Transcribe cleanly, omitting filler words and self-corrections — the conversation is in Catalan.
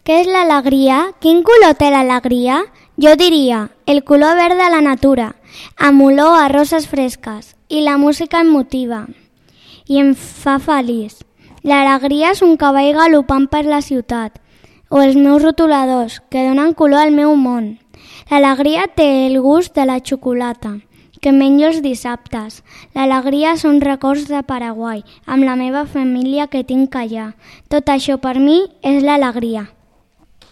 Què és l'alegria? Quin color té l'alegria? Jo diria, el color verd de la natura, amb olor a roses fresques, i la música em motiva i em fa feliç. L'alegria és un cavall galopant per la ciutat, o els meus rotuladors, que donen color al meu món. L'alegria té el gust de la xocolata, que menjo els dissabtes. L'alegria són records de Paraguai, amb la meva família que tinc allà. Tot això per mi és l'alegria.